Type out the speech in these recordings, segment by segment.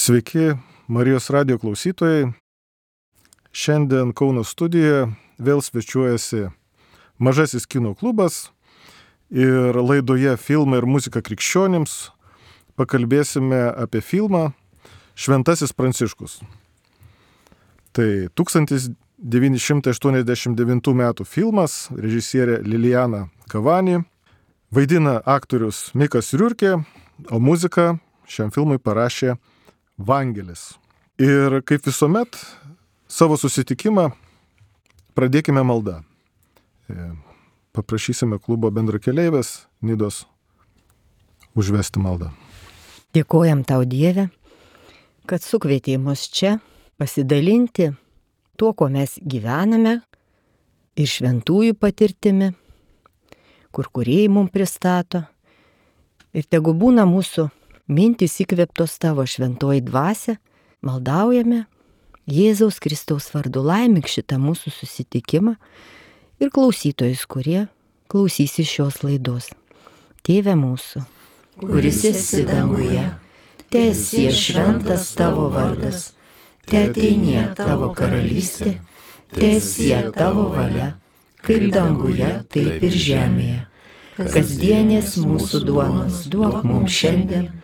Sveiki, Marijos radijo klausytojai. Šiandien Kauno studijoje vėl svečiuojasi Mažasis kino klubas ir laidoje Filmai ir muzika krikščionims pakalbėsime apie filmą Šventasis Pranciškus. Tai 1989 metų filmas, režisierė Lilijana Kavani, vaidina aktorius Mikas Riurkė, o muziką šiam filmui parašė Vangelis. Ir kaip visuomet, savo susitikimą pradėkime maldą. Paprašysime klubo bendrakeleivės Nidos užvesti maldą. Dėkojam tau, Dieve, kad sukvietei mus čia pasidalinti tuo, ko mes gyvename ir šventųjų patirtimi, kur kūrėjai mums pristato. Ir tegu būna mūsų mintys įkvėptos tavo šventoji dvasia, maldaujame Jėzaus Kristaus vardu, laimik šitą mūsų susitikimą ir klausytojus, kurie klausysis šios laidos. Tėve mūsų, kuris esi danguje, teesie šventas tavo vardas, teateinie tavo karalystė, teesie tavo valia, kaip danguje, taip ir žemėje. Kasdienės mūsų duonos duok mums šiandien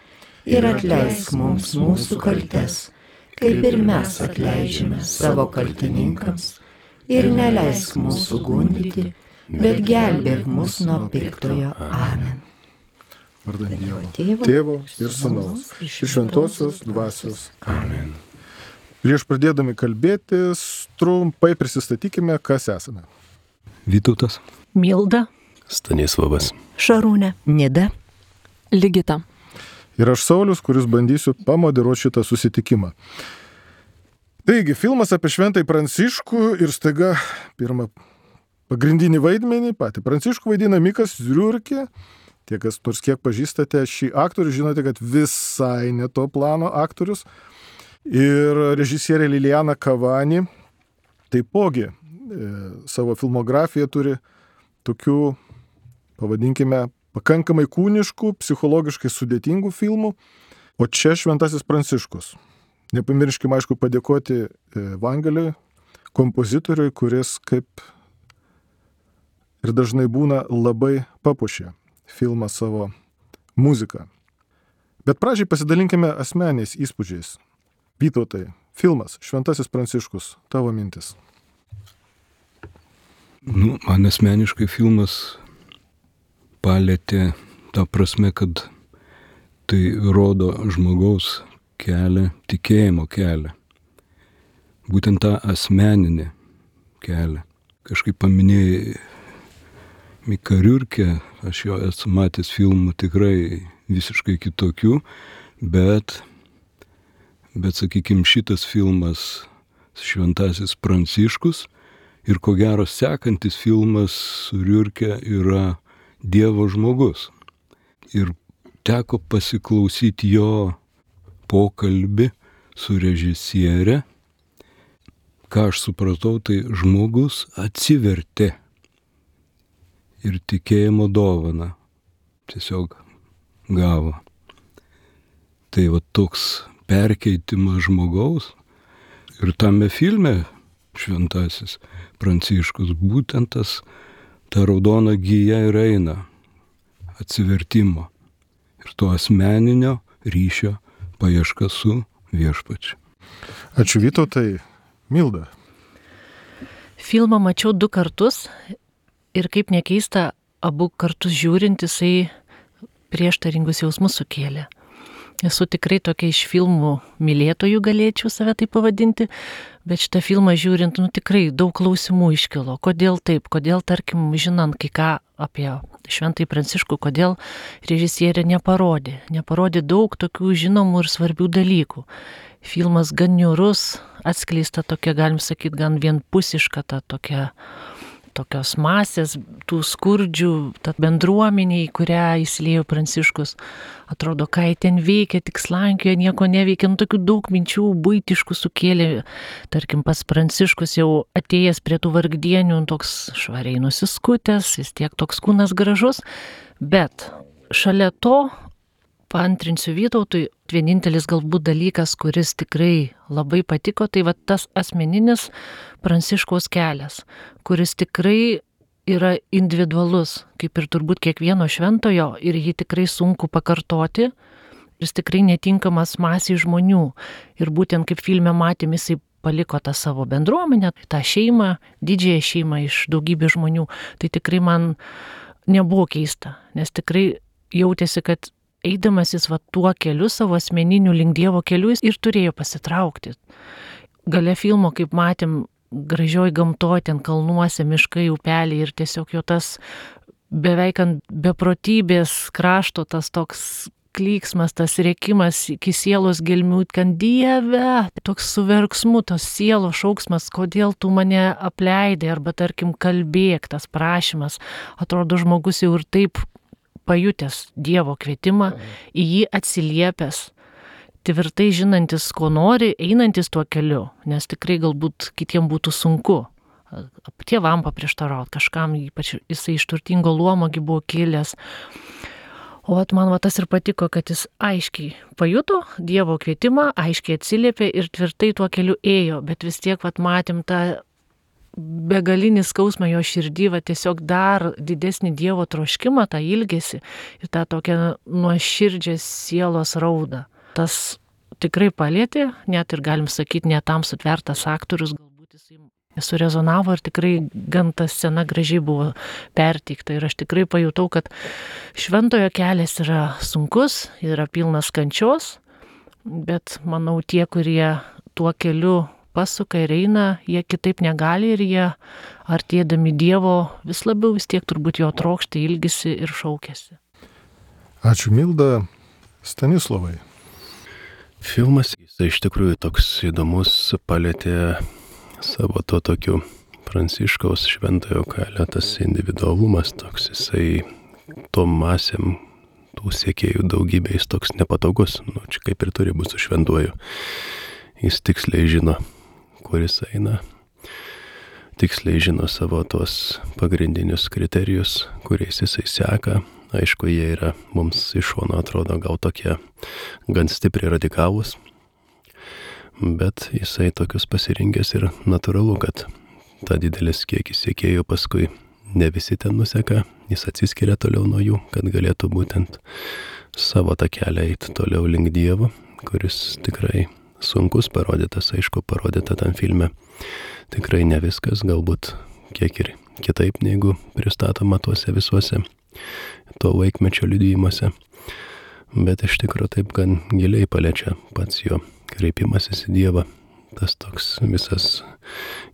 ir atleisk mums mūsų kaltes, kaip ir mes atleidžiame savo kaltininkams, ir neleisk mūsų gundyti, bet gelbėk mus nuo piktojo. Amen. Vardan Dievo, Tėvo ir Sūnaus, ir Šventosios Dvasios. Amen. Prieš pradėdami kalbėtis, trumpai prisistatykime, kas esame. Vytautas, Milda, Stanislavas, Šarūnė, Nida, Ligita. Ir aš Saulius, kuris bandysiu pamoderuoti šitą susitikimą. Taigi, filmas apie Šventąjį Pranciškų ir staiga pirmą pagrindinį vaidmenį, patį Pranciškų vaidina Mikas Riurkė. Tie, kas nors kiek pažįstate šį aktorių, žinote, kad visai ne to plano aktorius. Ir režisierė Lilijana Kavani taipogi savo filmografiją turi tokių, pavadinkime, pakankamai kūniškų, psichologiškai sudėtingų filmų, o čia Šventasis Pranciškus. Nepamirškime, aišku, padėkoti Vangeliui, kompozitoriui, kuris, kaip ir dažnai būna, labai papuošė filmą savo muziką. Bet pradžiai pasidalinkime asmeniais įspūdžiais. Vytautai, filmas Šventasis Pranciškus, tavo mintis. Man asmeniškai filmas palėtė tą prasme, kad tai rodo žmogaus kelią, tikėjimo kelią. Būtent tą asmeninį kelią. Kažkaip paminėjai Miką Riurkę, aš jo esu matęs filmų tikrai visiškai kitokių, bet sakykime, šitas filmas Šventasis Pranciškus ir ko gero sekantis filmas su Riurke yra Dievo žmogus. Ir teko pasiklausyti jo pokalbį su režisierė. Ką aš supratau, tai žmogus atsivertė ir tikėjimo dovaną tiesiog gavo. Tai va toks perkeitimas žmogaus ir tame filme Šventasis Pranciškus būtent ta raudona gija ir eina atsivertimo ir to asmeninio ryšio paieška su viešpačiu. Ačiū Vytautai. Milda. Filmą mačiau 2 kartus ir kaip nekeista, abu kartus žiūrint, jisai prieštaringus jausmus sukėlė. Esu tikrai tokia iš filmų mylėtojų, galėčiau save tai pavadinti, bet šitą filmą žiūrint, tikrai daug klausimų iškilo. Kodėl taip, kodėl, tarkim, žinant kai ką apie Šventąjį Pranciškų, kodėl režisierė neparodė daug tokių žinomų ir svarbių dalykų. Filmas gan niūrus, atskleista tokia, galim sakyti, gan vienpusiška ta tokios masės, tų skurdžių, ta bendruomenė, į kurią įsiliejo Pranciškus. Atrodo, ką jie ten veikia, tik slankioja, nieko neveikia, tokių daug minčių buitiškų sukėlė. Tarkim, pats Pranciškus jau atėjęs prie tų vargdienių, toks švariai nusiskutęs, vis tiek toks kūnas gražus, bet šalia to paantrinsiu Vytautui, vienintelis galbūt dalykas, kuris tikrai labai patiko, tai va tas asmeninis Pranciškaus kelias, kuris tikrai yra individualus, kaip ir turbūt kiekvieno šventojo, ir jį tikrai sunku pakartoti, jis tikrai netinkamas masiai žmonių. Ir būtent kaip filme matėm, jisai paliko tą savo bendruomenę, tą šeimą, didžiąją šeimą iš daugybės žmonių. Tai tikrai man nebuvo keista, nes tikrai jautėsi, kad eidamas jis va tuo keliu, savo asmeniniu link Dievo keliu, jis ir turėjo pasitraukti. Gale filmo, kaip matėm, gražioj gamtoj, ten kalnuose, miškai, upeliai ir tiesiog jo tas beveik ant beprotybės krašto, tas toks klyksmas, tas rėkimas iki sielos gelmių, kad Dieve, toks su verksmu, tos sielos šauksmas, kodėl tu mane apleidai, arba tarkim kalbėk, tas prašymas, atrodo žmogus jau ir taip pajutęs Dievo kvietimą, į jį atsiliepęs, tvirtai žinantis, ko nori, einantis tuo keliu, nes tikrai galbūt kitiem būtų sunku. Tėvam paprieštarauti, kažkam, ypač jisai iš turtingo luomogi buvo kilęs. O man tas ir patiko, kad jis aiškiai pajuto Dievo kvietimą, aiškiai atsiliepė ir tvirtai tuo keliu ėjo, bet vis tiek matėm tą begalinį skausmą jo širdį, tiesiog dar didesnį Dievo troškimą, tą ilgesį ir tą tokią nuoširdžią sielos raudą. Tas tikrai palėtė, net ir galim sakyti, net tam sutvertas aktorius, galbūt jisai surezonavo ir tikrai gan ta scena gražiai buvo perteikta. Ir aš tikrai pajutau, kad šventojo kelias yra sunkus, yra pilnas kančios, bet manau tie, kurie tuo keliu pasuka ir eina, jie kitaip negali ir jie artėdami Dievo vis labiau vis tiek turbūt jo trokšta, ilgisi ir šaukėsi. Ačiū Milda. Stanislovai. Filmas, jis iš tikrųjų toks įdomus, palėtė savo to tokiu Pranciškaus šventojo kelio, tas individualumas toks, jisai tom masėm, tų siekėjų daugybė, jis toks nepatogus, čia kaip ir turi būti su šventuoju. Jis tiksliai žino, kur jis eina, tiksliai žino savo tos pagrindinius kriterijus, kuriais jisai seka. Aišku, jie yra mums iš šono atrodo gal tokie gan stipriai radikalūs, bet jisai tokius pasirinkęs ir natūralu, kad ta didelis kiekis siekėjų paskui ne visi ten nuseka, jis atsiskiria toliau nuo jų, kad galėtų būtent savo tą kelią eiti toliau link Dievo, kuris tikrai sunkus, parodytas, aišku, parodyta tam filme. Tikrai ne viskas, galbūt kiek ir kitaip, negu pristatoma tuose visuose to laikmečio liudijimuose, bet iš tikrųjų taip gan giliai paliečia pats jo kreipimasis į Dievą, tas toks visas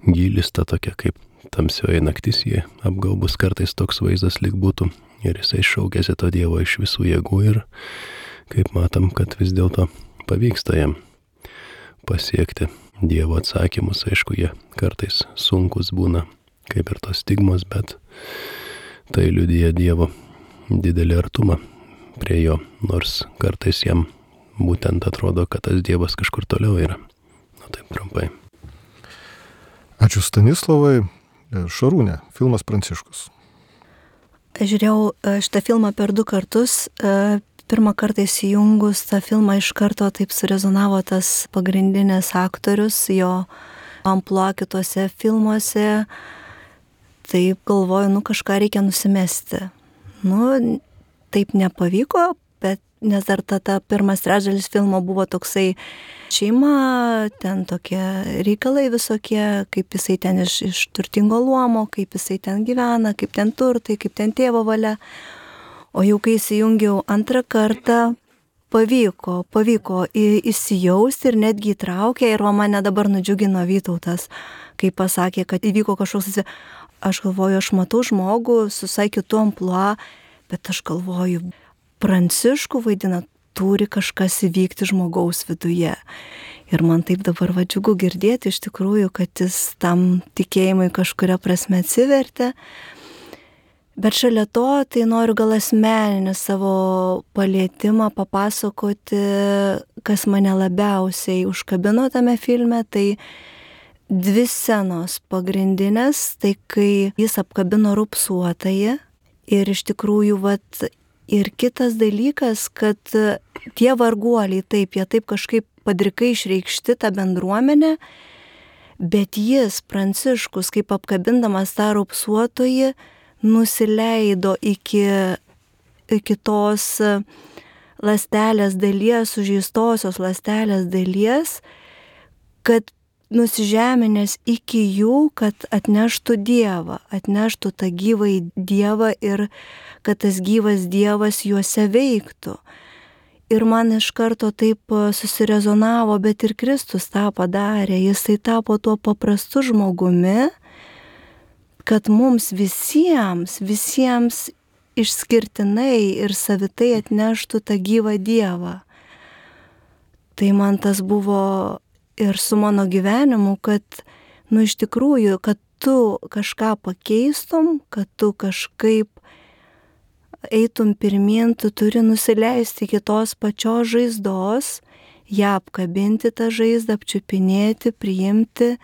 gylis, ta tokia kaip tamsioji naktis, jie apgaubus kartais toks vaizdas lyg būtų, ir jisai šaukėsi to Dievo iš visų jėgų ir kaip matom, kad vis dėlto pavyksta jam pasiekti Dievo atsakymus, aišku, jie kartais sunkus būna, kaip ir tos stigmos, bet tai liudija Dievo didelį artumą prie jo, nors kartais jam būtent atrodo, kad tas Dievas kažkur toliau yra. Taip trumpai. Ačiū Stanislovai. Šarūnė, filmas Pranciškus. Aš žiūrėjau šitą filmą per 2 kartus. Pirmą kartą įsijungus tą filmą iš karto taip surezonavo tas pagrindinis aktorius, jo amplua kitose filmuose. Taip galvoju, kažką reikia nusimesti. Taip nepavyko, bet nes dar ta pirmas trečdalis filmo buvo toksai šeima, ten tokie reikalai visokie, kaip jisai ten iš turtingo luomo, kaip jisai ten gyvena, kaip ten turtai, kaip ten tėvo valia. O jau kai įsijungiau antrą kartą, pavyko įsijausti ir netgi įtraukė, ir mane dabar nudžiugino Vytautas, kai pasakė, kad įvyko kažkoks, aš galvoju, aš matau žmogų su visai kitu amplua, bet aš galvoju, Pranciškų vaidina, turi kažkas įvykti žmogaus viduje. Ir man taip dabar džiugu girdėti iš tikrųjų, kad jis tam tikėjimui kažkuria prasme atsivertė. Bet šalia to, tai noriu gal asmeninį savo palietimą papasakoti, kas mane labiausiai užkabino tame filme, tai 2 scenos pagrindinės, tai kai jis apkabino raupsuotąjį ir iš tikrųjų Ir kitas dalykas, kad tie varguoliai, taip, jie taip kažkaip padrikai išreikšti tą bendruomenę, bet jis, Pranciškus, kaip apkabindamas tą raupsuotoji, nusileido iki tos ląstelės dalies, sužeistosios ląstelės dalies, kad nusižeminęs iki jų, kad atneštų Dievą, atneštų tą gyvąjį Dievą ir kad tas gyvas Dievas juose veiktų. Ir man iš karto taip susirezonavo, bet ir Kristus tą padarė, jisai tapo tuo paprastu žmogumi, kad mums visiems išskirtinai ir savitai atneštų tą gyvą Dievą. Tai man tas buvo ir su mano gyvenimu, kad, iš tikrųjų, kad tu kažką pakeistum, kad tu kažkaip eitum pirmyn, tu turi nusileisti iki tos pačios žaizdos, ją apkabinti tą žaizdą, apčiupinėti, priimti.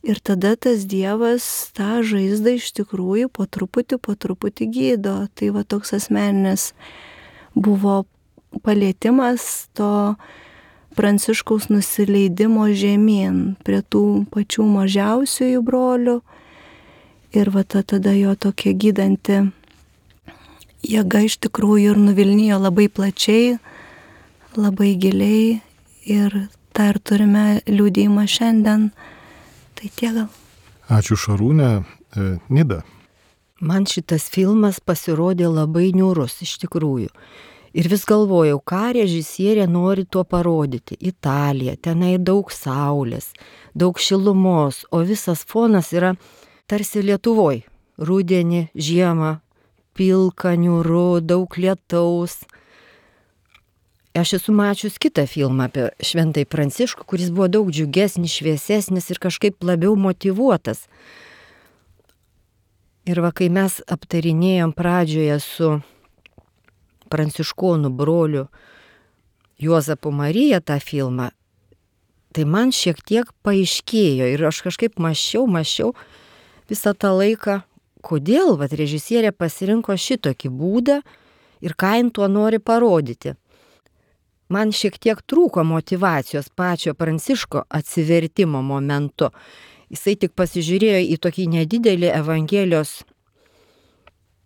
Ir tada tas Dievas tą žaizdą iš tikrųjų po truputį gydo. Tai va toks asmeninis buvo palietimas to Pranciškaus nusileidimo žemyn prie tų pačių mažiausiųjų brolių. Ir va tada jo tokia gydanti jėga iš tikrųjų ir nuvilnijo labai plačiai, labai giliai. Ir tą ir turime liudijimą šiandien. Tai tiek gal. Ačiū Šarūnė. Nida. Man šitas filmas pasirodė labai niūrus iš tikrųjų. Ir vis galvojau, ką režisierė nori tuo parodyti. Italija, tenai daug saulės, daug šilumos, o visas fonas yra tarsi Lietuvoj. Rudenį, žiemą, pilka, niūru, daug lietaus. Aš esu mačius kitą filmą apie Šventąjį Pranciškų, kuris buvo daug džiugesnis, šviesesnis ir kažkaip labiau motyvuotas. Ir va, kai mes aptarinėjom pradžioje su pranciškonų broliu Juozapu Marija tą filmą, tai man šiek tiek paaiškėjo ir aš kažkaip mąsčiau visą tą laiką, kodėl vat režisierė pasirinko šitokį būdą ir ką jin tuo nori parodyti. Man šiek tiek trūko motyvacijos pačio Pranciško atsivertimo momentu. Jisai tik pasižiūrėjo į tokį nedidelį Evangelijos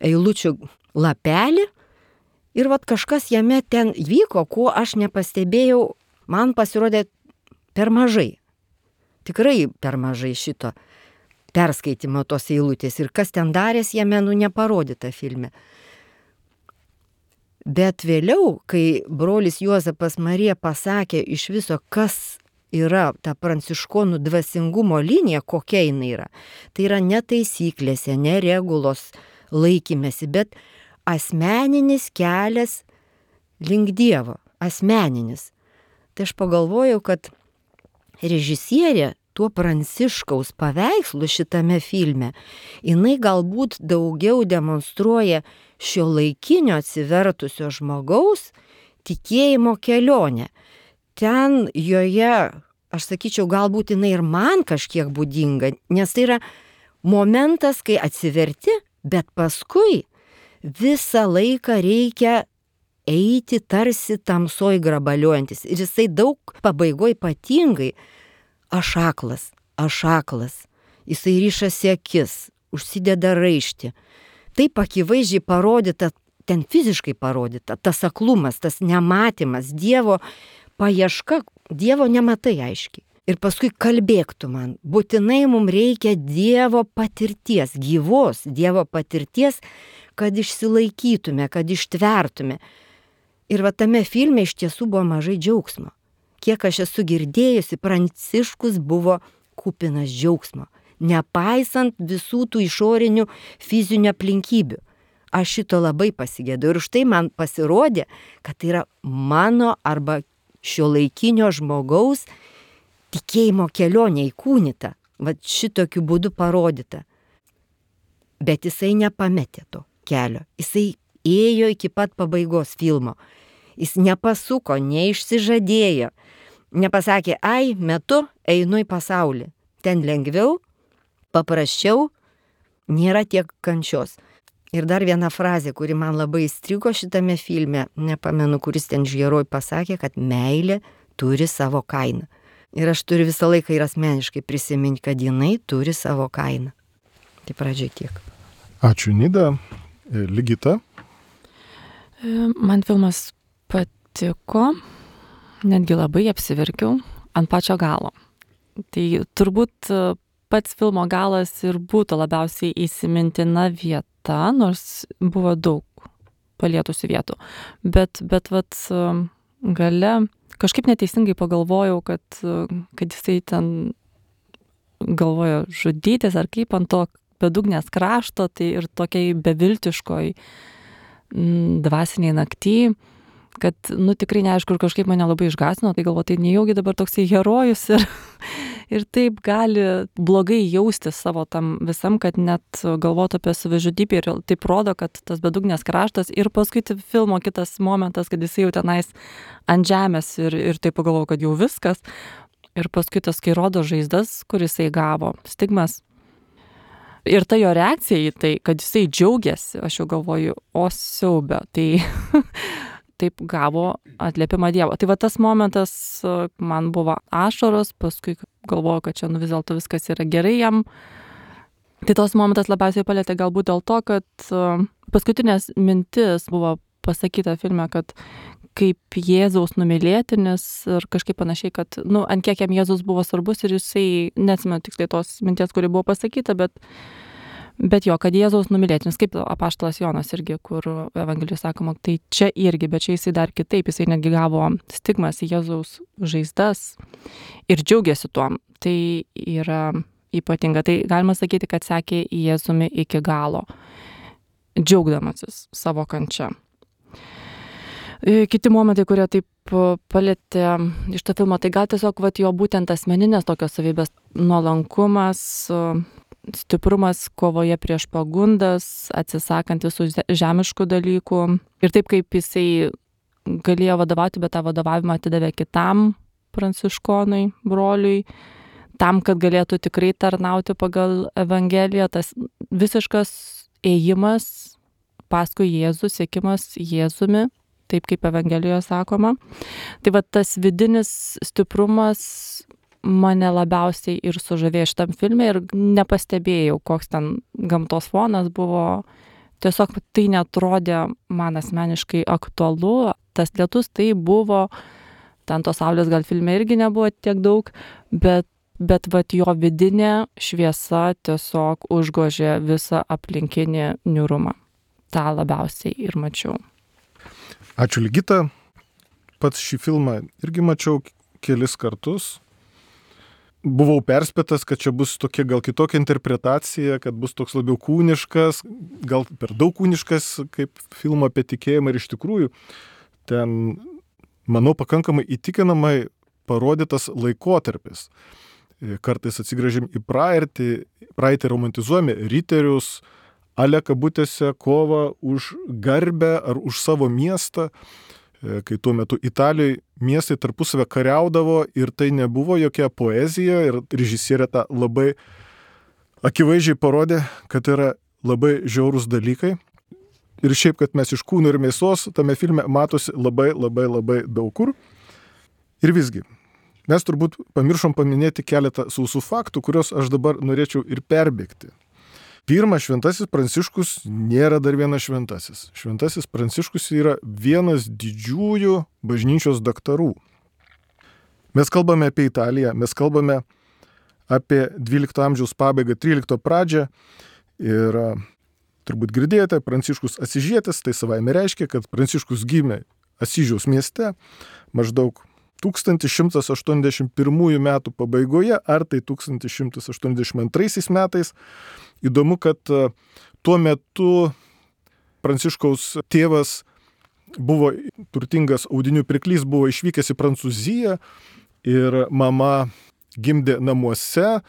eilučių lapelį ir vat kažkas jame ten vyko, ko aš nepastebėjau, man pasirodė per mažai. Tikrai per mažai šito perskaitimo tos eilutės ir kas ten darės jame, neparodyta filme. Bet vėliau, kai brolis Juozapas Marija pasakė iš viso, kas yra ta pranciškonų dvasingumo linija, kokia jinai yra, tai yra ne taisyklėse, ne regulos laikymėsi, bet asmeninis kelias link Dievo, asmeninis. Tai aš pagalvojau, kad režisierė tuo Pranciškaus paveikslu šitame filme, jinai galbūt daugiau demonstruoja šiuolaikinio atsivertusio žmogaus tikėjimo kelionę. Ten joje, aš sakyčiau, galbūt jinai ir man kažkiek būdinga, nes tai yra momentas, kai atsiverti, bet paskui visą laiką reikia eiti tarsi tamsoj grabaliuojantis. Ir jisai daug pabaigoj ypatingai aš aklas. Jisai ryšasi akis, užsideda raištį. Taip akivaizdžiai parodyta, ten fiziškai parodyta, tas aklumas, tas nematymas, Dievo paieška, Dievo nematai aiškiai. Ir paskui kalbėk tu man, būtinai mums reikia Dievo patirties, gyvos Dievo patirties, kad išsilaikytume, kad ištvertume. Ir va tame filme iš tiesų buvo mažai džiaugsmo. Kiek aš esu girdėjusi, Pranciškus buvo kupinas džiaugsmo, nepaisant visų tų išorinių fizinių aplinkybių. Aš šito labai pasigėdau ir už tai man pasirodė, kad tai yra mano arba šiuolaikinio žmogaus tikėjimo kelionė įkūnyta, va šitokiu būdu parodyta. Bet jisai nepametė to kelio, jisai ėjo iki pat pabaigos filmo. Jis nepasuko, neišsižadėjo, nepasakė, metu einu į pasaulį. Ten lengviau, paprasčiau, nėra tiek kančios. Ir dar viena frazė, kuri man labai įstrigo šitame filme, nepamenu, kuris ten heroj pasakė, kad meilė turi savo kainą. Ir aš turiu visą laiką ir asmeniškai prisiminti, kad jinai turi savo kainą. Tai pradžiai tiek. Ačiū, Nida. Ligita. Man filmas patiko, netgi labai apsiverkiau ant pačio galo. Tai turbūt pats filmo galas ir būtų labiausiai įsimintina vieta, nors buvo daug palietusių vietų. Bet vat gale kažkaip neteisingai pagalvojau, kad jisai ten galvojo žudytis ar kaip ant to bedugnės krašto, tai ir tokiai beviltiškoj dvasiniai nakty, kad, tikrai neaišku, ir kažkaip mane labai išgąsdino, tai galvoju, tai nejaugi dabar toksai herojus ir taip gali blogai jaustis savo tam visam, kad net galvotų apie savižudybę ir taip rodo, kad tas bedugnės kraštas ir paskui filmo kitas momentas, kad jisai jau tenais ant žemės ir taip pagalvoju, kad jau viskas. Ir paskui tas, kai rodo žaizdas, kuris jisai gavo, stigmas. Ir ta jo reakcija į tai, kad jisai džiaugiasi, aš jau galvoju, o siaubė, tai taip gavo atliepimą Dievo. Tai va tas momentas man buvo ašaros, paskui galvoju, kad čia vis dėlto viskas yra gerai jam. Tai tos momentas labiausiai palėtė galbūt dėl to, kad paskutinės mintis buvo pasakyta filme, kad kaip Jėzaus numylėtinis ir kažkaip panašiai, kad, ant kiek jam Jėzus buvo svarbus ir jisai, neatsimenu tiksliai tos minties, kuri buvo pasakyta, bet jo, kad Jėzaus numylėtinis, kaip apaštalas Jonas irgi, kur Evangelijos sakoma, tai čia irgi, bet čia jisai dar kitaip, jisai netgi gavo stigmas į Jėzaus žaizdas ir džiaugiasi tuom. Tai yra ypatinga. Tai galima sakyti, kad sekė Jėzumi iki galo, džiaugdamasis savo kančia. Kiti momentai, kurie taip palėtė iš to filmo, tai gal tiesiog jo būtent asmeninės tokios savybės, nuolankumas, stiprumas kovoje prieš pagundas, atsisakant visų žemiškų dalykų. Ir taip kaip jisai galėjo vadovauti, bet tą vadovavimą atidavė kitam pranciškonui, broliui, tam, kad galėtų tikrai tarnauti pagal Evangeliją, tas visiškas ėjimas paskui Jėzų, siekimas Jėzumi, taip kaip Evangelijoje sakoma. Tai va tas vidinis stiprumas mane labiausiai ir sužavėjo šitam filme ir nepastebėjau, koks ten gamtos fonas buvo. Tiesiog tai netrodė man asmeniškai aktualu. Tas lietus tai buvo, ten tos saulės gal filme irgi nebuvo tiek daug, bet jo vidinė šviesa tiesiog užgožė visą aplinkinį niūrumą. Ta labiausiai ir mačiau. Ačiū, Ligita. Pats šį filmą irgi mačiau kelis kartus. Buvau perspėtas, kad čia bus tokia gal kitokia interpretacija, kad bus toks labiau kūniškas, gal per daug kūniškas kaip filmo apie tikėjimą ir iš tikrųjų ten, manau, pakankamai įtikinamai parodytas laikotarpis. Kartais atsigręžim į praeitį romantizuojame riterius, ale kabutėse kovą už garbę ar už savo miestą, kai tuo metu Italijoje miestai tarpusavę kariaudavo ir tai nebuvo jokia poezija ir režisierė tą labai akivaizdžiai parodė, kad yra labai žiaurūs dalykai. Ir šiaip, kad mes iš kūno ir mėsos tame filme matosi labai daug kur. Ir visgi, mes turbūt pamiršom paminėti keletą sausų faktų, kuriuos aš dabar norėčiau ir perbėgti. Pirma, Šventasis Pranciškus nėra dar vienas šventasis. Šventasis Pranciškus yra vienas didžiųjų bažnyčios daktarų. Mes kalbame apie Italiją, mes kalbame apie 12 amžiaus pabaigą, 13 pradžią ir turbūt girdėjote, Pranciškus Asyžietis, tai savaime reiškia, kad Pranciškus gimė Asyžiaus mieste maždaug 1181 metų pabaigoje, ar tai 1182 metais. Įdomu, kad tuo metu Pranciškaus tėvas buvo turtingas audinių pirklys, buvo išvykęs į Prancūziją ir mama gimdė namuose,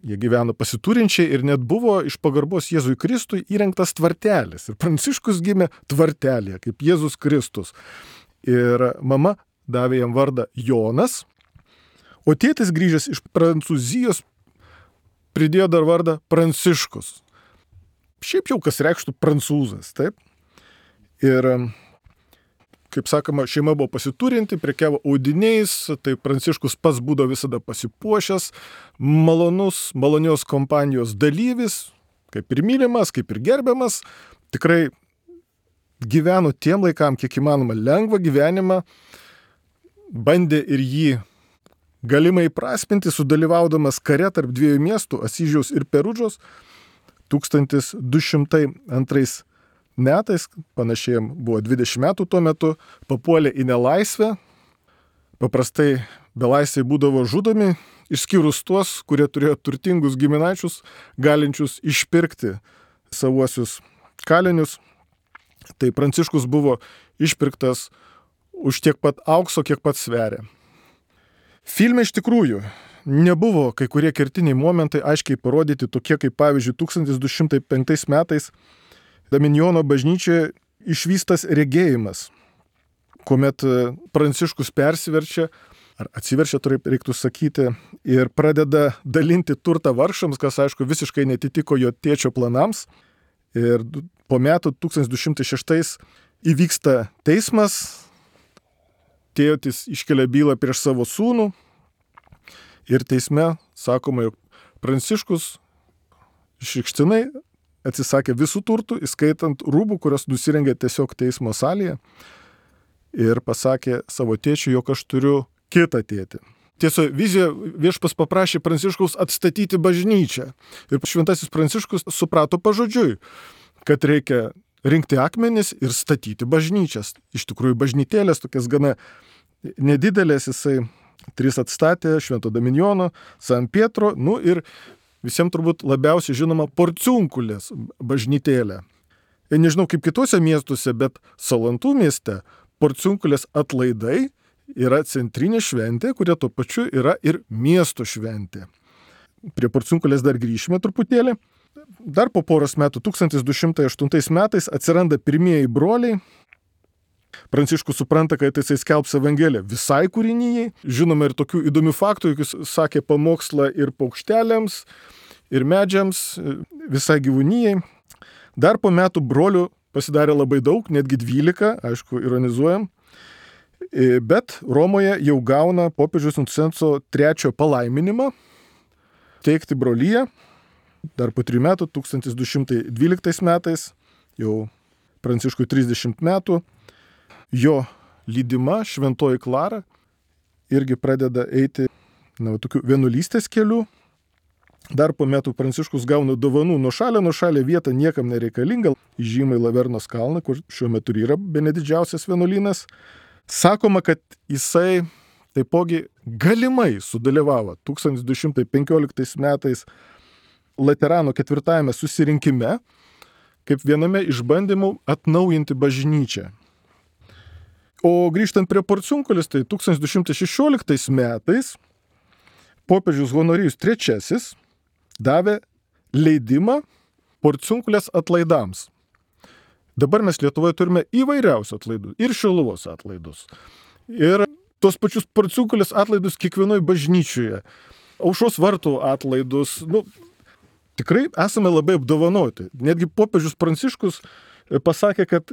jie gyveno pasiturinčiai ir net buvo iš pagarbos Jėzui Kristui įrengtas tvartelis. Ir Pranciškus gimė tvartelėje, kaip Jėzus Kristus. Ir mama davė jam vardą Jonas, o tėtis grįžęs iš Prancūzijos pridėjo dar vardą Pranciškus. šiaip jau kas reikštų prancūzas, taip. Ir, kaip sakoma, šeima buvo pasiturinti, prekiavo audiniais, tai Pranciškus pats būdavo visada pasipuošęs, malonios kompanijos dalyvis, kaip ir mylimas, kaip ir gerbiamas, tikrai gyveno tiem laikam, kiek įmanoma, lengvą gyvenimą, bandė ir jį galimai prasminti, sudalyvaudamas kare tarp dviejų miestų, Asyžiaus ir Perudžos, 1202 metais, panašiai buvo 20 metų tuo metu, papuolė į nelaisvę. Paprastai belaisviai būdavo žudomi, išskyrus tuos, kurie turėjo turtingus giminaičius, galinčius išpirkti savuosius kalinius. Tai Pranciškus buvo išpirktas už tiek pat aukso, kiek pat sveria. Filme iš tikrųjų nebuvo kai kurie kertiniai momentai aiškiai parodyti, tokie kaip pavyzdžiui 1205 metais Daminjono bažnyčioje išvystas regėjimas, kuomet Pranciškus persiverčia, ar atsiverčia, taip reiktų sakyti, ir pradeda dalinti turtą vargšams, kas aišku visiškai netitiko jo tėčio planams. Ir po metų 1206 įvyksta teismas, tėtis iškelia bylą prieš savo sūnų ir teisme sakoma, jog Pranciškus išrikštinai atsisakė visų turtų, įskaitant rūbų, kurios nusirengė tiesiog teismo salėje, ir pasakė savo tėčiui, jog aš turiu kitą tėtį. Tiesa, vizijoje viešpas paprašė Pranciškaus atstatyti bažnyčią. Ir šventasis Pranciškus suprato pažodžiui, kad reikia rinkti akmenis ir statyti bažnyčias. Iš tikrųjų, bažnytėlės tokias gana nedidelės, jisai 3 atstatė, Švento Daminjono, San Pietro, ir visiems turbūt labiausiai žinoma Porciunkulės bažnytėlė. Ir nežinau kaip kitose miestuose, bet Salantų mieste Porciunkulės atlaidai yra centrinė šventė, kurie tuo pačiu yra ir miesto šventė. Prie Porciunkulės dar grįšime truputėlį. Dar po poros metų, 1208 metais, atsiranda pirmieji broliai. Pranciškus supranta, kad jisai skelbs Evangeliją visai kūrinijai. Žinoma ir tokių įdomių faktų, jis sakė pamokslą ir paukšteliams, ir medžiams, visai gyvūnijai. Dar po metų brolių pasidarė labai daug, netgi 12, aišku, ironizuojam. Bet Romoje jau gauna popiežiaus Innocenzo III palaiminimą teikti brolyje. Dar po 3 metų, 1212 metais, jau Pranciškui 30 metų, jo lydima šventoji Klara irgi pradeda eiti tokiu vienuolystės keliu. Dar po metų Pranciškus gauna dovanų nuo šalia vieta niekam nereikalinga, įžymai Lavernos kalną, kur šiuo metu yra bene didžiausias vienuolynas. Sakoma, kad jisai taipogi galimai sudalyvavo 1215 metais Laterano 4 susirinkime, kaip viename iš bandymų atnaujinti bažnyčią. O grįžtant prie Porciunkulės, tai 1216 metais popiežius Honorijus III davė leidimą Porciunkulės atlaidams. Dabar mes Lietuvoje turime įvairiausių atlaidų, ir Šiluvos atlaidus, ir tos pačius Porciunkulės atlaidus kiekvienoje bažnyčioje, Aušros vartų atlaidus. Tikrai esame labai apdovanoti. Netgi popiežius Pranciškus pasakė, kad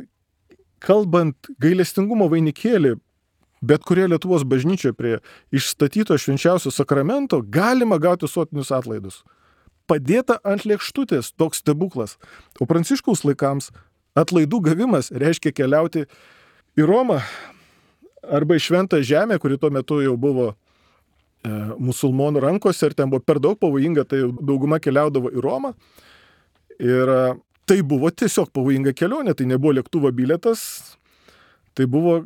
kalbant gailestingumo vainikėlį, bet kurie Lietuvos bažnyčioje prie išstatyto švenčiausio sakramento galima gauti sotinius atlaidus. Padėta ant lėkštutės toks stebuklas. O Pranciškaus laikams atlaidų gavimas reiškia keliauti į Romą arba į Šventą Žemę, kuri tuo metu jau buvo musulmonų rankose ir ten buvo per daug pavojinga, tai dauguma keliaudavo į Romą. Ir tai buvo tiesiog pavojinga kelionė, tai nebuvo lėktuvo bilietas, tai buvo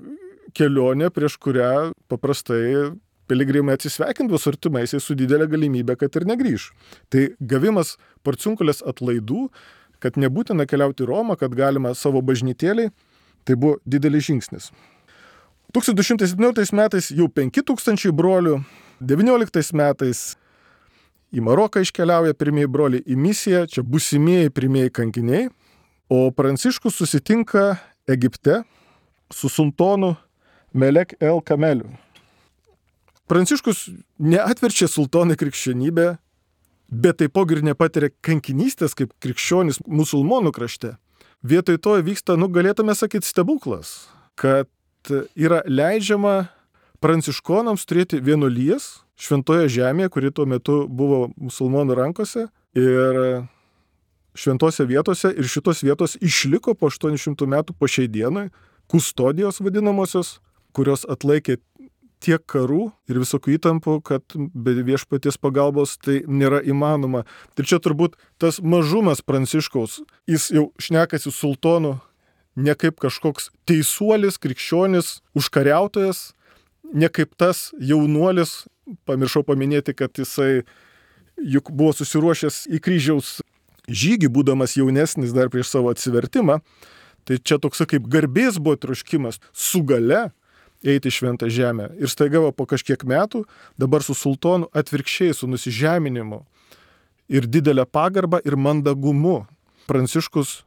kelionė, prieš kurią paprastai piligrimai atsisveikindavo su artimaisiais su didelė galimybė, kad ir negrįš. Tai gavimas Porciunkulės atlaidų, kad nebūtina keliauti į Romą, kad galima savo bažnytėliai, tai buvo didelis žingsnis. 1217 metais jau 5000 brolių, 19 metais į Maroką iškeliauja pirmieji broliai į misiją, čia būsimieji pirmieji kankiniai, o Pranciškus susitinka Egipte su sultonu Melek el Kameliu. Pranciškus neatverčia sultoną krikščionybę, bet taipogi ir nepatiria kankinystės kaip krikščionys musulmonų krašte. Vietoj to vyksta, galėtume sakyti, stebuklas, kad yra leidžiama pranciškonams turėti vienuolijas šventoje žemėje, kuri tuo metu buvo musulmonų rankose ir šventose vietose, ir šitos vietos išliko po 800 metų po šiai dienai, kustodijos vadinamosios, kurios atlaikė tiek karų ir visokių įtampų, kad be viešpaties pagalbos tai nėra įmanoma. Ir čia turbūt tas mažumas Pranciškaus, jis jau šnekasi sultonu ne kaip kažkoks teisuolis, krikščionis, užkariautojas, ne kaip tas jaunuolis, pamiršau paminėti, kad jisai juk buvo susiruošęs į kryžiaus žygį, būdamas jaunesnis dar prieš savo atsivertimą. Tai čia toks kaip garbės buvo troškimas su gale eiti į šventą žemę. Ir staiga po kažkiek metų dabar su sultonu atvirkščiai, su nusižeminimu ir didelę pagarbą ir mandagumu Pranciškus,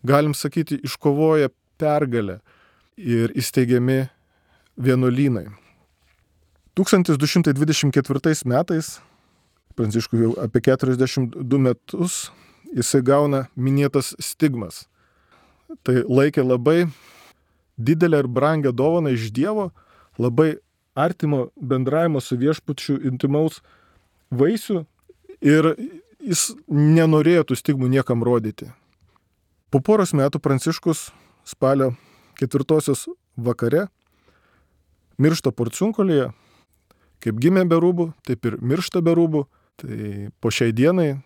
galim sakyti, iškovoja pergalę ir įsteigiami vienuolynai. 1224 metais, Pranciškui jau apie 42 metus, jisai gauna minėtas stigmas. Tai laikė labai didelę ir brangę dovaną iš Dievo, labai artimo bendravimo su viešpačiu intimaus vaisių ir jis nenorėjo tų stigmų niekam rodyti. Po poros metų Pranciškus spalio 4 vakare miršta Porciunkulėje. Kaip gimė be rūbų, taip ir miršta be rūbų. Tai po šiai dienai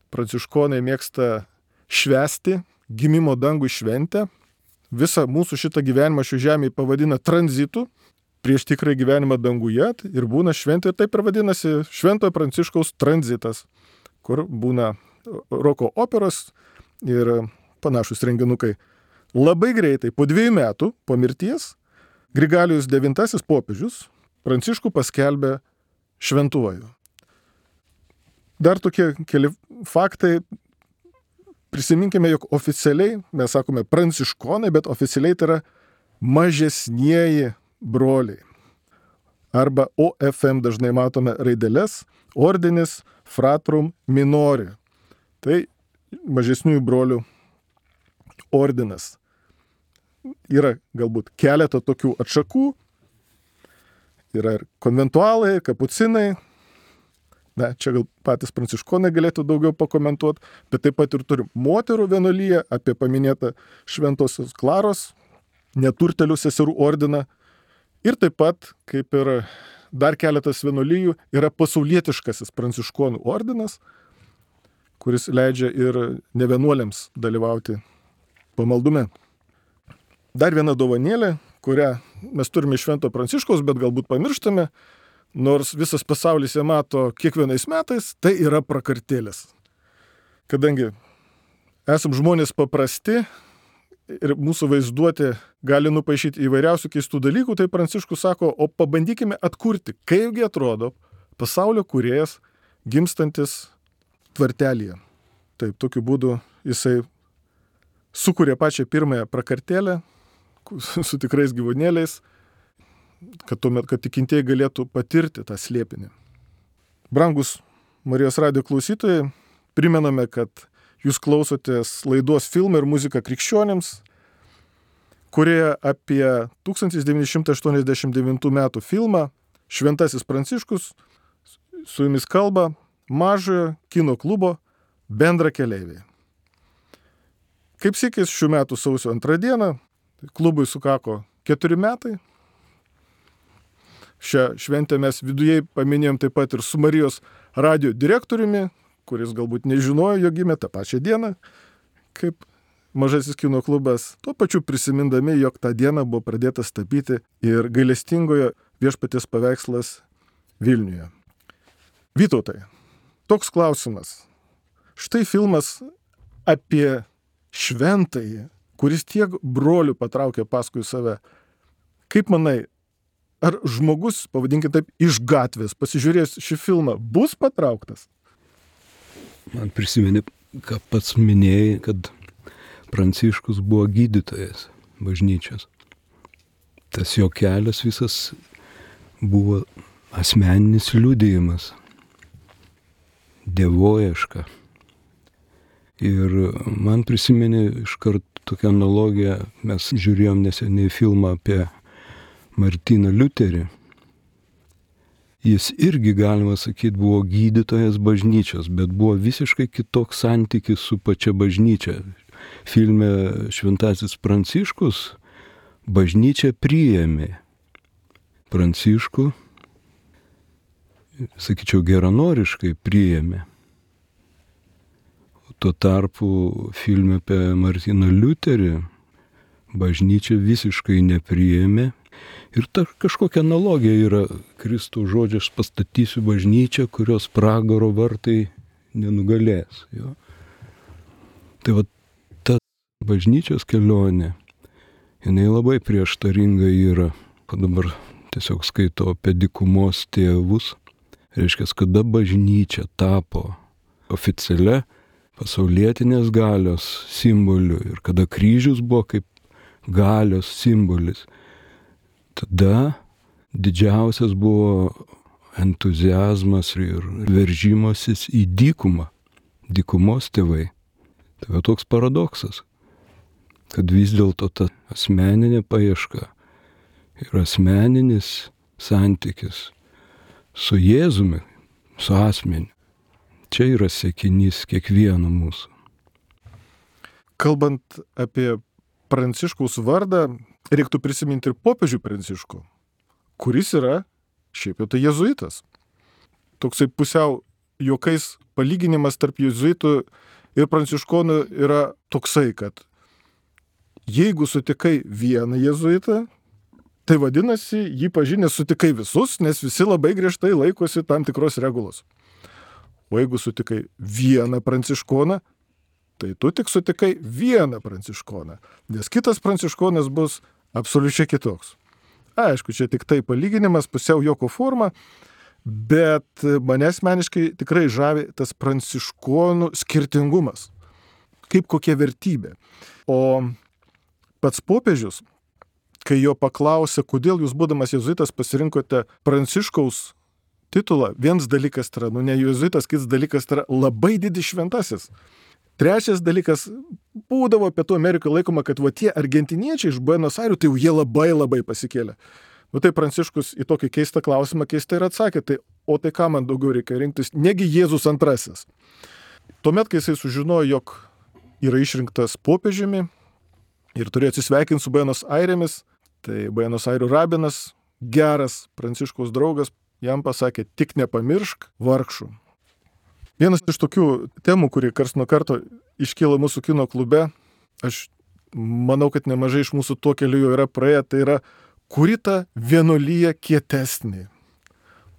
pranciškonai mėgsta švęsti gimimo dangų šventę. Visą mūsų šitą gyvenimą šių žemėje pavadina tranzitu prieš tikrą gyvenimą danguje ir būna šventė, ir taip ir vadinasi Šventojo Pranciškaus tranzitas, kur būna roko operos ir panašus renginukai. Labai greitai, po 2 metų po mirties, Grigalijus IX popiežius Pranciškų paskelbė šventuoju. Dar tokie keli faktai. Prisiminkime, jog oficialiai, mes sakome pranciškonai, bet oficialiai tai yra mažesnieji broliai. Arba OFM dažnai matome raideles, ordinis fratrum minori. Tai mažesniųjų brolių ordinas. Yra galbūt keletą tokių atšakų. Yra ir konventualai, kapucinai. Na, čia gal patys pranciškonai galėtų daugiau pakomentuoti, bet taip pat ir turim moterų vienuolyje, apie paminėtą Šventosios Klaros, neturtelių seserų ordiną. Ir taip pat, kaip ir dar keletas vienuolijų, yra pasaulietiškasis pranciškonų ordinas, kuris leidžia ir nevienuoliams dalyvauti pamaldume. Dar viena dovanėlė, kurią mes turime iš Švento Pranciškaus, bet galbūt pamirštame, nors visas pasaulis ją mato kiekvienais metais, tai yra prakartėlės. Kadangi esam žmonės paprasti ir mūsų vaizduotė gali nupaišyti įvairiausių keistų dalykų, tai Pranciškus sako, o pabandykime atkurti, kaipgi atrodo pasaulio kūrėjas gimstantis tvartelyje. Taip, tokiu būdu jisai sukūrė pačią pirmąją prakartėlę su tikrais gyvūnėliais, kad tikintieji galėtų patirti tą slėpinį. Brangus Marijos radijo klausytojai, primename, kad jūs klausotės laidos Filmai ir muzika krikščionims, kurioje apie 1989 metų filmą Šventasis Pranciškus su jumis kalba Mažojo kino klubo bendrakeleiviai. Kaip sykis šių metų sausio 2 dieną, klubui sukako 4 metai. Šią šventę mes viduje paminėjom taip pat ir su Marijos radijo direktoriumi, kuris galbūt nežinojo, jog gimė tą pačią dieną, kaip Mažasis kino klubas, tuo pačiu prisimindami, jog tą dieną buvo pradėtas tapyti ir gailestingojo viešpaties paveikslas Vilniuje. Vytautai, toks klausimas. Štai filmas apie šventąjį, kuris tiek brolių patraukė paskui save. Kaip manai, ar žmogus, pavadinkime taip, iš gatvės, pasižiūrėjęs šį filmą, bus patrauktas? Man prisimeni, ką pats minėjai, kad Pranciškus buvo gydytojas bažnyčios. Tas jo kelias visas buvo asmeninis liudijimas dievoieška. Ir man prisiminė iškart tokią analogiją, mes žiūrėjom neseniai filmą apie Martyną Liuterį. Jis irgi, galima sakyti, buvo gydytojas bažnyčios, bet buvo visiškai kitoks santykis su pačia bažnyčia. Filme Šventasis Pranciškus bažnyčia priėmė Pranciškų, sakyčiau, geranoriškai priėmė. Tuo tarpu filme apie Martyną Liuterį bažnyčia visiškai nepriėmė. Ir ta kažkokia analogija yra Kristaus žodžio, aš pastatysiu bažnyčią, kurios pragaro vartai nenugalės. Jo. Tai va ta bažnyčios kelionė, jinai labai prieštaringa yra. Dabar tiesiog skaitau apie dykumos tėvus. Reiškia, kada bažnyčia tapo oficialia pasaulietinės galios simboliu ir kada kryžius buvo kaip galios simbolis. Tada didžiausias buvo entuziazmas ir veržimasis į dykumą, dykumos tėvai. Tai va toks paradoksas, kad vis dėlto ta asmeninė paieška ir asmeninis santykis su Jėzumi, su asmeniu, čia yra siekinys kiekvieno mūsų. Kalbant apie Pranciškaus vardą, reiktų prisiminti ir popiežių Pranciškų, kuris yra šiaip jau tai jėzuitas. Toksai pusiau juokais palyginimas tarp jėzuitų ir pranciškonų yra toksai, kad jeigu sutikai vieną jėzuitą, tai vadinasi, jį pažinęs sutikai visus, nes visi labai griežtai laikosi tam tikros regulos. O jeigu sutikai vieną pranciškoną, tai tu tik sutikai vieną pranciškoną, nes kitas pranciškonas bus absoliučiai kitoks. Aišku, čia tik tai palyginimas, pusiau juoko forma, bet mane asmeniškai tikrai žavi tas pranciškonų skirtingumas, kaip kokia vertybė. O pats popiežius, kai jo paklausė, kodėl jūs būdamas jėzuitas pasirinkote Pranciškaus titulą, vienas dalykas yra, ne jėzuitas, kitas dalykas yra labai didis šventasis. Trečias dalykas, būdavo Pietų Amerikoje laikoma, kad va tie argentiniečiai iš Buenos Airių, tai jau jie labai labai pasikėlė. Nu tai Pranciškus į tokį keistą klausimą keistai ir atsakė, tai o tai ką man daugiau reikia rinktis, negi Jėzus antrasis. Tuomet, kai jisai sužinojo, jog yra išrinktas popiežiumi ir turėjo atsisveikinti su Buenos Airėmis, tai Buenos Airių rabinas, geras Pranciškaus draugas, jam pasakė, tik nepamiršk vargšų. Vienas iš tokių temų, kuri karts nuo karto iškyla mūsų kino klube, aš manau, kad nemažai iš mūsų tuo keliu jau yra praėję, tai yra, kuri ta vienuolija kietesnė,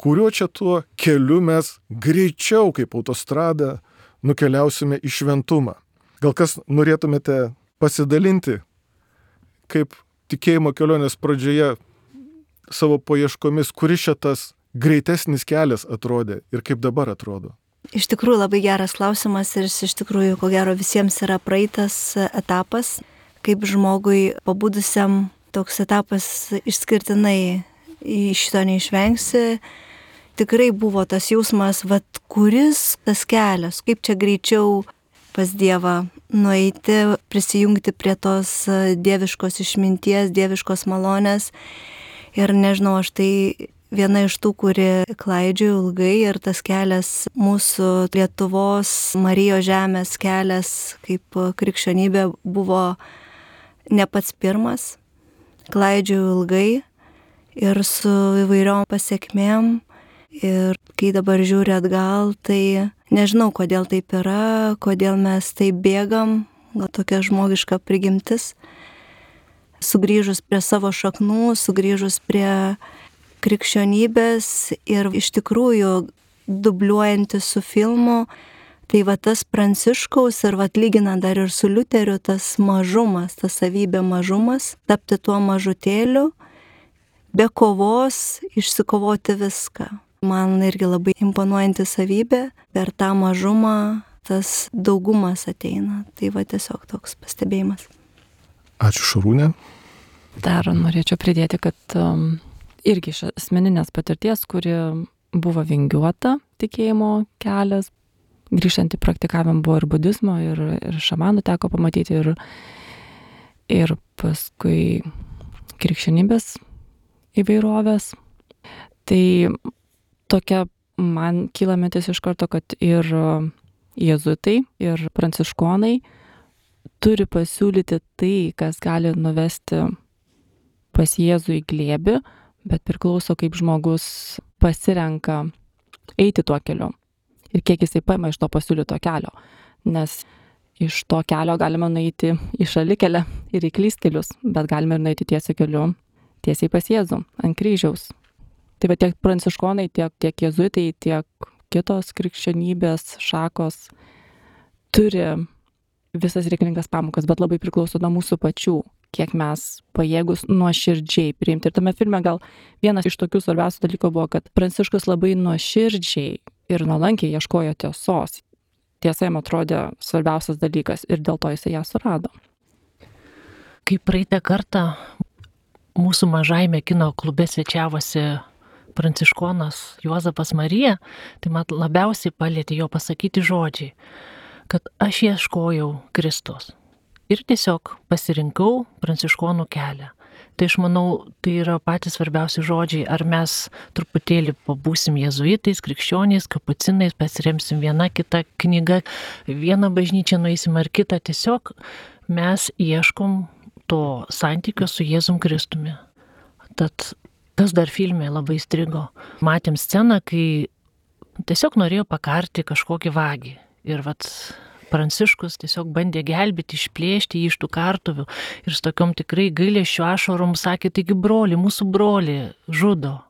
kuriuo čia tuo keliu mes greičiau kaip autostrada nukeliausime į šventumą. Gal kas norėtumėte pasidalinti, kaip tikėjimo kelionės pradžioje savo paieškomis, kuris šitas greitesnis kelias atrodė ir kaip dabar atrodo? Iš tikrųjų labai geras klausimas ir jis iš tikrųjų, ko gero, visiems yra praeitas etapas, kaip žmogui pabudusiam toks etapas išskirtinai iš šito neišvengsi. Tikrai buvo tas jausmas, kuris tas kelias, kaip čia greičiau pas Dievą nueiti, prisijungti prie tos dieviškos išminties, dieviškos malonės. Ir nežinau, aš tai viena iš tų, kuri klaidžiojo ilgai ir tas kelias mūsų Lietuvos Marijos žemės kelias kaip krikščionybė buvo ne pats pirmas. Klaidžiojau ilgai ir su įvairiom pasiekmėm ir kai dabar žiūri atgal, tai nežinau, kodėl taip yra, kodėl mes taip bėgam, gal tokia žmogiška prigimtis. Sugrįžus prie savo šaknų, sugrįžus prie krikščionybės ir iš tikrųjų dubliuojantis su filmu, tai va tas Pranciškaus ir va lyginant dar ir su Liuteriu, tas mažumas, ta savybė mažumas, tapti tuo mažutėliu, be kovos išsikovoti viską. Man irgi labai imponuojanti savybė, per tą mažumą tas daugumas ateina. Tai va tiesiog toks pastebėjimas. Ačiū, Šarūnė. Dar norėčiau pridėti, kad irgi iš asmeninės patirties, kuri buvo vingiuota tikėjimo kelias, grįžtant į praktikavimą buvo ir budizmo, ir šamanų teko pamatyti, ir paskui krikščionybės įvairovės. Tai tokia man kyla mintis iš karto, kad ir jėzuitai, ir pranciškonai turi pasiūlyti tai, kas gali nuvesti pas Jėzų į glėbį, bet priklauso, kaip žmogus pasirenka eiti tuo keliu ir kiek jisai paima iš to pasiūlyto kelio. Nes iš to kelio galima nueiti į šalikelę ir į klystkelius, bet galime ir nueiti tiesiai keliu, tiesiai pas Jėzų ant kryžiaus. Tai va tiek pranciškonai, tiek jėzuitai, tiek kitos krikščionybės šakos turi visas reikalingas pamokas, bet labai priklauso nuo mūsų pačių, kiek mes pajėgus nuoširdžiai priimti. Ir tame filme gal vienas iš tokių svarbiausių dalykų buvo, kad Pranciškus labai nuoširdžiai ir nuolankiai ieškojo tiesos. Tiesa jam atrodė svarbiausias dalykas ir dėl to jisai ją surado. Kai praeitą kartą mūsų mažajame kino klube svečiavosi pranciškonas Juozapas Marija, tai man labiausiai palėtė jo pasakyti žodžiai, kad aš ieškojau Kristus ir tiesiog pasirinkau pranciškonų kelią. Tai aš manau, tai yra patys svarbiausi žodžiai, ar mes truputėlį pabūsim jėzuitais, krikščioniais, kapucinais, pasiremsim vieną kitą knygą, vieną bažnyčią nueisim ar kitą, tiesiog mes ieškom to santykio su Jėzum Kristumi. Tad kas dar filme labai strigo, matėm sceną, kai tiesiog norėjo pakarti kažkokį vagį ir Pranciškus tiesiog bandė gelbėti, išplėšti jį iš tų kartuvių ir su tokiom tikrai gailesčio ašarom sakė, taigi broli, mūsų broli žudo.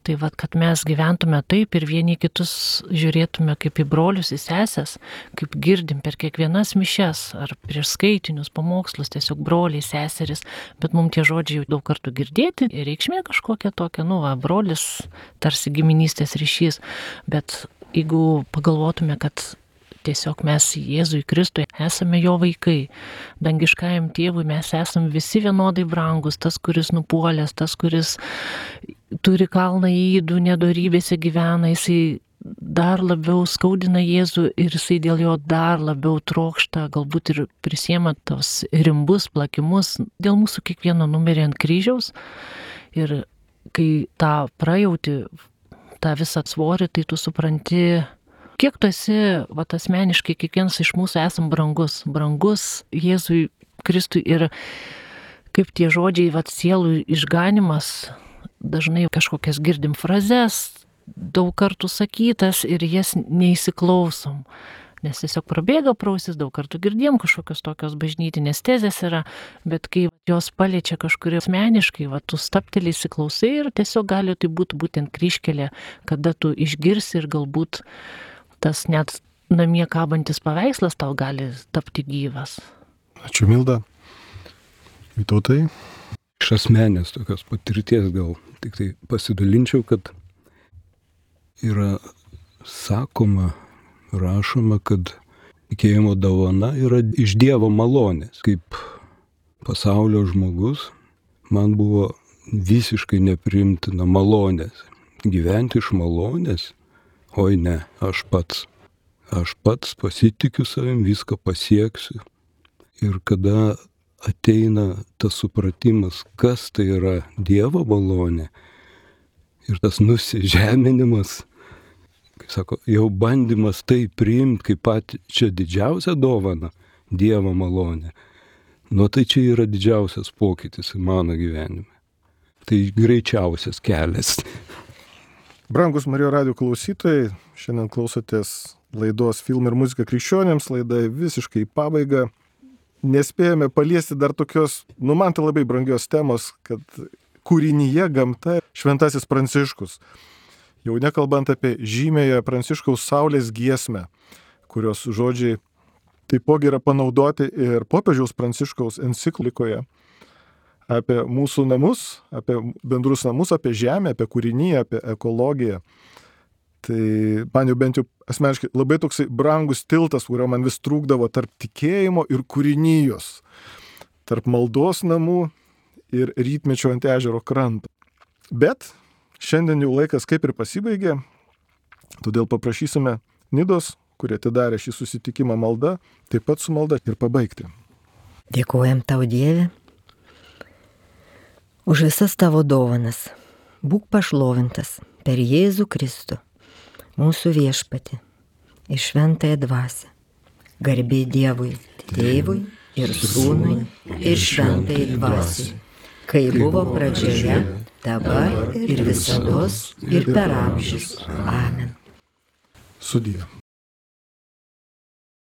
Tai kad mes gyventume taip ir vieni kitus žiūrėtume kaip į brolius, į sesės, kaip girdim per kiekvienas mišias ar prieš skaitinius, pamokslus, tiesiog broliai, seseris, bet mums tie žodžiai jau daug kartų girdėti ir reikšmė kažkokia tokia, brolis, tarsi giminystės ryšys, bet jeigu pagalvotume, kad tiesiog mes Jėzui Kristui esame jo vaikai. Dangiškajam tėvui mes esame visi vienodai brangus. Tas, kuris nupuolęs, tas, kuris turi kalną ydų, nedorybėse gyvena, jisai dar labiau skaudina Jėzų ir jisai dėl jo dar labiau trokšta, galbūt ir prisiema tos rimbus, plakimus, dėl mūsų kiekvieno numirė ant kryžiaus. Ir kai tą prajauti, tą visą svorį, tai tu supranti, kiek tu esi, asmeniškai, kiekvienas iš mūsų esam brangus Jėzui Kristui ir kaip tie žodžiai, sielų išganimas, dažnai kažkokias girdim frazes, daug kartų sakytas ir jas neįsiklausom, nes tiesiog prabėga prausis, daug kartų girdėjom kažkokios tokios bažnytinės tezės yra, bet kai jos paliečia kažkurį asmeniškai, tu staptelį įsiklausai ir tiesiog gali tai būti būtent kryžkelė, kada tu išgirsi ir galbūt tas net namie kabantis paveikslas tau gali tapti gyvas. Ačiū, Milda. Vytautai. Iš asmenės tokios patirties gal tik tai pasidalinčiau, kad yra sakoma, rašoma, kad tikėjimo dovana yra iš Dievo malonės. Kaip pasaulio žmogus man buvo visiškai nepriimtina malonės. Gyventi iš malonės. Oi ne, aš pats pasitikiu savim, viską pasieksiu. Ir kada ateina tas supratimas, kas tai yra Dievo malonė ir tas nusižeminimas, kaip sako, jau bandymas tai priimti kaip pačią didžiausią dovaną, Dievo malonę, tai čia yra didžiausias pokytis mano gyvenime. Tai greičiausias kelias. Brangus Marijos radijo klausytojai, šiandien klausotės laidos Filmai ir muzika krikščionėms, laida visiškai į pabaigą. Nespėjome paliesti dar tokios, man tai labai brangios temos, kad kūrinyje gamta šventasis Pranciškus. Jau nekalbant apie žymėją Pranciškaus Saulės giesmę, kurios žodžiai taipogi yra panaudoti ir popiežiaus Pranciškaus enciklikoje apie mūsų namus, apie bendrus namus, apie žemę, apie kūriniją, apie ekologiją. Tai man jau bent jau asmeniškai labai toksai brangus tiltas, kurio man vis trūkdavo tarp tikėjimo ir kūrinijos, tarp maldos namų ir rytmečio ant ežero kranto. Bet šiandien jau laikas kaip ir pasibaigė, todėl paprašysime Nidos, kurie atidarė šį susitikimą malda, taip pat su malda ir pabaigti. Dėkojam tau, Dieve, už visas tavo dovanas. Būk pašlovintas per Jėzų Kristų, mūsų viešpatį ir šventąją dvasią. Garbė Dievui, Tėvui ir Sūnui ir šventajai dvasiai, kai buvo pradžioje, dabar ir visados ir per amžius. Amen. Sudie.